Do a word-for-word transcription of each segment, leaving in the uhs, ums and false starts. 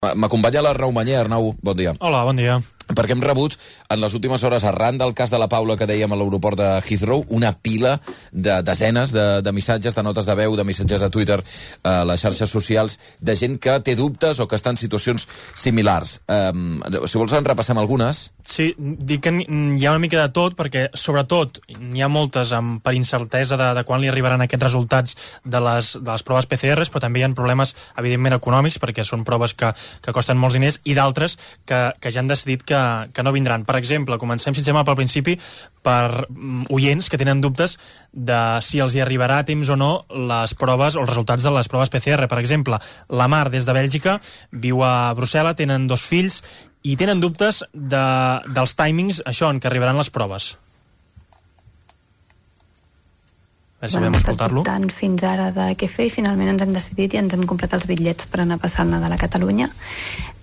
M'acompanya la Raumanyer. Arnau, bon dia. Hola, bon dia. Perquè hem rebut en les últimes hores, arran del cas de la Paula que dèiem a l'aeroport de Heathrow, una pila de desenes de, de missatges, de notes de veu, de missatges a Twitter, a les xarxes socials, de gent que té dubtes o que està en situacions similars. Um, si vols en repassem algunes. Sí, dic que hi ha una mica de tot, perquè sobretot n'hi ha moltes amb, per incertesa de, de quan li arribaran aquests resultats de les, de les proves P C Rs, però també hi ha problemes, evidentment, econòmics, perquè són proves que, que costen molts diners, i d'altres que, que ja han decidit que, que no vindran. Per exemple, comencem, si ens sembla, pel principi, per oients que tenen dubtes de si els hi arribarà a temps o no les proves o els resultats de les proves P C R. Per exemple, la Mar, des de Bèlgica, viu a Brussel·les, tenen dos fills, i tenen dubtes de, dels timings, això, en què arribaran les proves. A veure si vam escoltar-lo. Tant fins ara de què fer, i finalment ens hem decidit i ens hem comprat els bitllets per anar a passar el Nadal a Catalunya.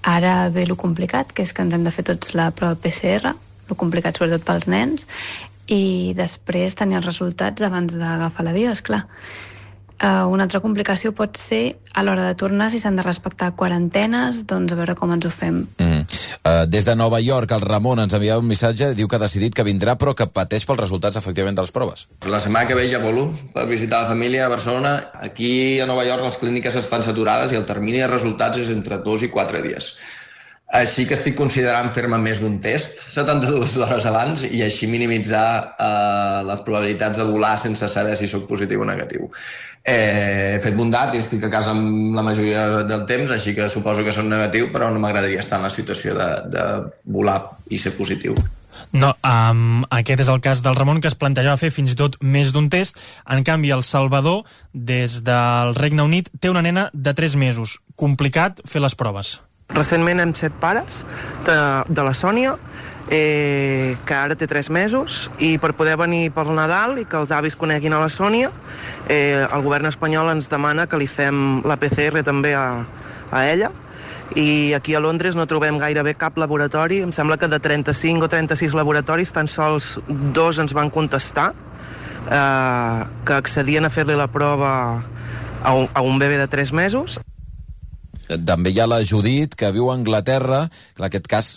Ara ve lo complicat, que és que ens hem de fer tots la prova P C R, lo complicat sobretot pels nens, i després tenir els resultats abans d'agafar l'avió, esclar. Uh, una altra complicació pot ser a l'hora de tornar, si s'han de respectar quarantenes, doncs a veure com ens ho fem. Mm. Uh, des de Nova York, el Ramon ens enviava un missatge, diu que ha decidit que vindrà, però que pateix pels resultats, efectivament, de les proves. La setmana que ve ja volo per visitar la família a Barcelona. Aquí a Nova York les clíniques estan saturades i el termini de resultats és entre dos i quatre dies. Així que estic considerant fer-me més d'un test, setanta-dues hores abans, i així minimitzar eh, les probabilitats de volar sense saber si sóc positiu o negatiu. Eh, he fet bondat i estic a casa amb la majoria del temps, així que suposo que soc negatiu, però no m'agradaria estar en la situació de, de volar i ser positiu. No, um, aquest és el cas del Ramon, que es plantejava fer fins i tot més d'un test. En canvi, el Salvador, des del Regne Unit, té una nena de tres mesos. Complicat fer les proves. Recentment hem set pares de, de la Sònia, eh, que ara té tres mesos, i per poder venir pel Nadal i que els avis coneguin a la Sònia, eh, el govern espanyol ens demana que li fem la P C R també a, a ella, i aquí a Londres no trobem gairebé cap laboratori. Em sembla que de trenta-cinc o trenta-sis laboratoris tan sols dos ens van contestar eh, que accedien a fer-li la prova a un, a un bebè de tres mesos. També hi ha la Judit, que viu a Anglaterra. Clar, aquest cas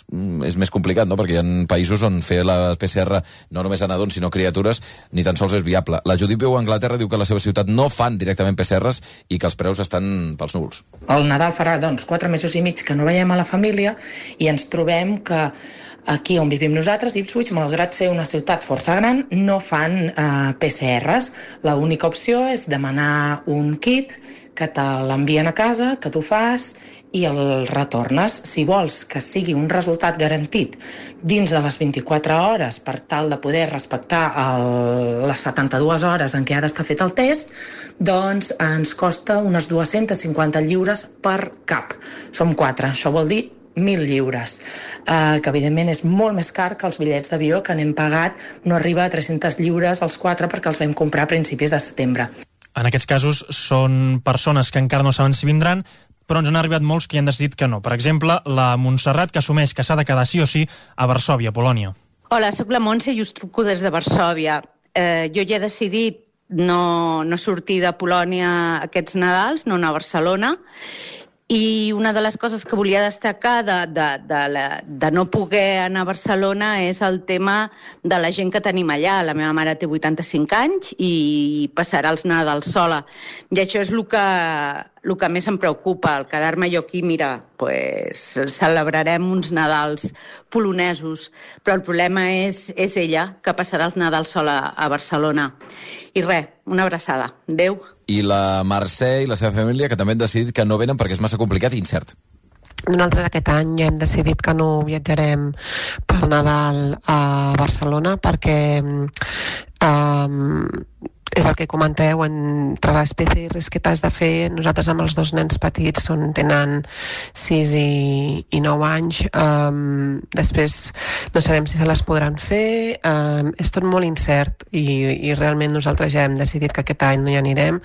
és més complicat, no?, perquè hi ha països on fer la P C R no només a nadons, sinó criatures, ni tan sols és viable. La Judit viu a Anglaterra, diu que a la seva ciutat no fan directament P C Rs i que els preus estan pels núvols. El Nadal farà, doncs, quatre mesos i mig que no veiem a la família i ens trobem que aquí on vivim nosaltres, Ipswich, malgrat ser una ciutat força gran, no fan eh, P C Rs. L'única opció és demanar un kit que te l'envien a casa, que tu fas i el retornes. Si vols que sigui un resultat garantit dins de les vint-i-quatre hores per tal de poder respectar el, les setanta-dues hores en què ha d'estar fet el test, doncs ens costa unes dues-centes cinquanta lliures per cap. Som quatre, això vol dir mil lliures, eh, que evidentment és molt més car que els bitllets d'avió que n'hem pagat, no arriba a tres-centes lliures els quatre perquè els vam comprar a principis de setembre. En aquests casos són persones que encara no saben si vindran, però ens han arribat molts que han decidit que no. Per exemple, la Montserrat, que assumeix que s'ha de quedar sí o sí a Varsòvia, Polònia. Hola, sóc la Montse i us truco des de Varsòvia. Eh, jo ja he decidit no, no sortir de Polònia aquests Nadals, no anar a Barcelona, i una de les coses que volia destacar de, de, de, la, de no poder anar a Barcelona és el tema de la gent que tenim allà. La meva mare té vuitanta-cinc anys i passarà els Nadals sola. I això és el que, el que més em preocupa, el quedar-me jo aquí, mira, pues, celebrarem uns Nadals polonesos, però el problema és, és ella, que passarà els Nadals sola a Barcelona. I res, una abraçada. Adéu. I la Mercè i la seva família, que també han decidit que no venen perquè és massa complicat i incert. Nosaltres aquest any ja hem decidit que no viatjarem pel Nadal a Barcelona perquè um, és el que comenteu, entre les P C Rs que t'has de fer. Nosaltres amb els dos nens petits són, tenen sis i, i nou anys, um, després no sabem si se les podran fer, um, és tot molt incert i, i realment nosaltres ja hem decidit que aquest any no hi anirem.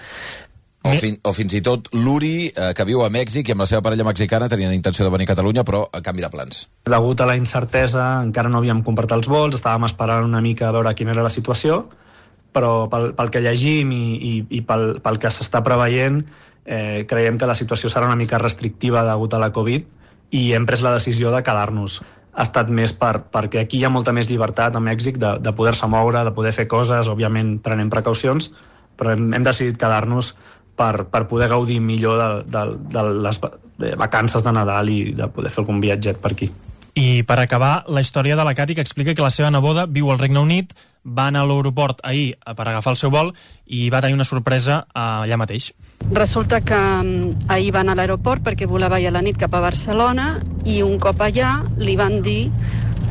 O, fin, o fins i tot l'Uri, eh, que viu a Mèxic i amb la seva parella mexicana tenien intenció de venir a Catalunya, però a canvi de plans. Degut a la incertesa, encara no havíem comprat els vols, estàvem esperant una mica a veure quina era la situació, però pel, pel que llegim i, i, i pel, pel que s'està preveient, eh, creiem que la situació serà una mica restrictiva degut a la Covid i hem pres la decisió de quedar-nos. Ha estat més per, perquè aquí hi ha molta més llibertat a Mèxic de, de poder-se moure, de poder fer coses, òbviament prenent precaucions, però hem, hem decidit quedar-nos per, per poder gaudir millor de, de, de les vacances de Nadal i de poder fer algun viatget per aquí. I per acabar, la història de la Cati, que explica que la seva neboda viu al Regne Unit, va anar a l'aeroport ahir per agafar el seu vol i va tenir una sorpresa allà mateix. Resulta que ahir va anar a l'aeroport perquè volava ir a la nit cap a Barcelona i un cop allà li van dir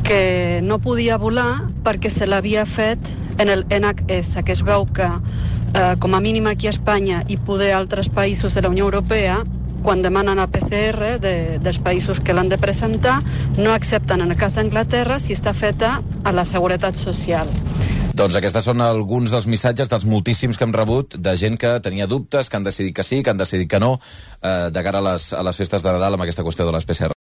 que no podia volar perquè se l'havia fet en el N H S, que es veu que eh, com a mínim aquí a Espanya i poder altres països de la Unió Europea, quan demanen el P C R de, dels països que l'han de presentar, no accepten en el cas d'Anglaterra si està feta a la Seguretat Social. Doncs aquests són alguns dels missatges dels moltíssims que hem rebut de gent que tenia dubtes, que han decidit que sí, que han decidit que no, eh, de cara a les, a les festes de Nadal amb aquesta qüestió de les P C R.